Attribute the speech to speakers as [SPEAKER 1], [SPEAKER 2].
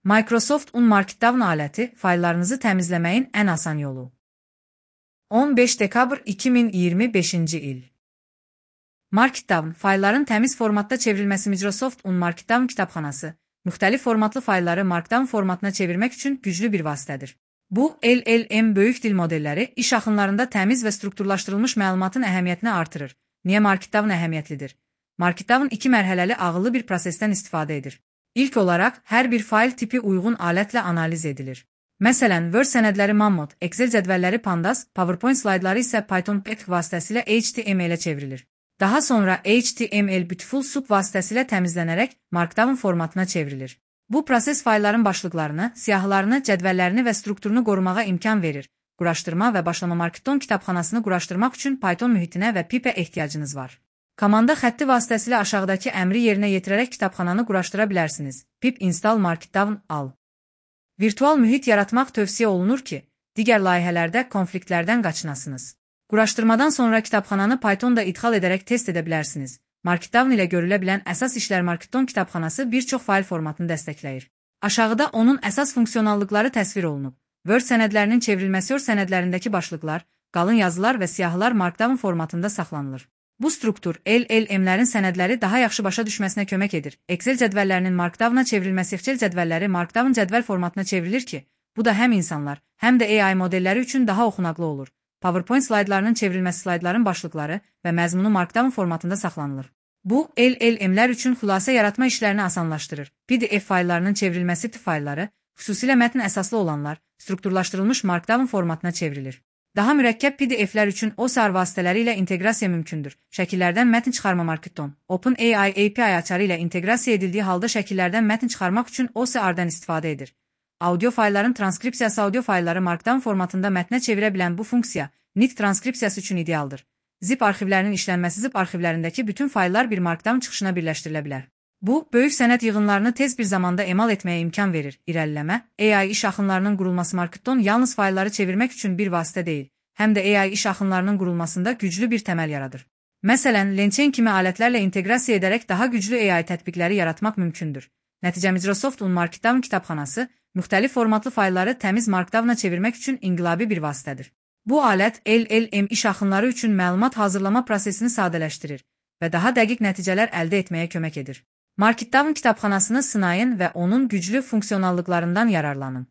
[SPEAKER 1] Microsoft Markdown aləti fayllarınızı təmizləməyin ən asan yolu. 15 dekabr 2025-ci il. Markdown faylların təmiz formatda çevrilməsi. Microsoft Markdown kitabxanası müxtəlif formatlı faylları Markdown formatına çevirmək üçün güclü bir vasitədir. Bu, LLM böyük dil modelləri iş axınlarında təmiz və strukturlaşdırılmış məlumatın əhəmiyyətini artırır. Niyə Markdown əhəmiyyətlidir? Markdown 2 mərhələli ağıllı bir prosesdən istifadə edir. İlk olaraq, hər bir fayl tipi uyğun alətlə analiz edilir. Məsələn, Word sənədləri Mammoth, Excel cədvəlləri Pandas, PowerPoint slaydları isə Python Pet vasitəsilə HTML-ə çevrilir. Daha sonra HTML Beautiful Soup vasitəsilə təmizlənərək Markdown formatına çevrilir. Bu proses faylların başlıqlarını, siyahılarını, cədvəllərini və strukturunu qorumağa imkan verir. Quraşdırma və başlama Markdown kitabxanasını quraşdırmaq üçün Python mühitinə və pipə ehtiyacınız var. Komanda xətti vasitəsilə aşağıdakı əmri yerinə yetirərək kitabxananı quraşdıra bilərsiniz. Pip install Markdown al. Virtual mühit yaratmaq tövsiyə olunur ki, digər layihələrdə konfliktlərdən qaçınasınız. Quraşdırmadan sonra kitabxananı Pythonda idxal edərək test edə bilərsiniz. Markdown ilə görülə bilən əsas işlər. Markdown kitabxanası bir çox fayl formatını dəstəkləyir. Aşağıda onun əsas funksionallıqları təsvir olunub. Word sənədlərinin çevrilməsi. Word sənədlərindəki başlıqlar, qalın yazılar və siyahılar Markdown formatında saxlanılır. Bu struktur LLM-lərin sənədləri daha yaxşı başa düşməsinə kömək edir. Excel cədvəllərinin Markdown-a çevrilməsi. Excel cədvəlləri Markdown cədvəl formatına çevrilir ki, bu da həm insanlar, həm də AI modelləri üçün daha oxunaqlı olur. PowerPoint slaydlarının çevrilməsi. Slaydların başlıqları və məzmunu Markdown formatında saxlanılır. Bu, LLM-lər üçün xülasə yaratma işlərini asanlaşdırır. PDF fayllarının çevrilməsi. Faylları, xüsusilə mətn əsaslı olanlar, strukturlaşdırılmış Markdown formatına çevrilir. Daha mürəkkəb PDF-lər üçün OCR vasitələri ilə inteqrasiya mümkündür. Şəkillərdən mətn çıxarma. Markdown, OpenAI API açarı ilə inteqrasiya edildiyi halda şəkillərdən mətn çıxarmaq üçün OCR-dən istifadə edir. Audio faylların transkripsiyası. Audio faylları Markdown formatında mətnə çevirə bilən bu funksiya NIT transkripsiyası üçün idealdır. Zip arxivlərinin işlənməsi. Zip arxivlərindəki bütün fayllar bir Markdown çıxışına birləşdirilə bilər. Bu, böyük sənəd yığınlarını tez bir zamanda emal etməyə imkan verir. İrəliləmə, AI iş axınlarının qurulması. Markdown yalnız faylları çevirmək üçün bir vasitə deyil, həm də AI iş axınlarının qurulmasında güclü bir təməl yaradır. Məsələn, LangChain kimi alətlərlə inteqrasiya edərək daha güclü AI tətbiqləri yaratmaq mümkündür. Nəticə Microsoft Markdown kitabxanası müxtəlif formatlı faylları təmiz Markdown-a çevirmək üçün inqilabi bir vasitədir. Bu alət LLM iş axınları üçün məlumat hazırlama prosesini sadələşdirir və daha dəqiq nəticələr əldə etməyə kömək edir. Markdown kitabxanasını sınayın və onun güclü funksionallıqlarından yararlanın.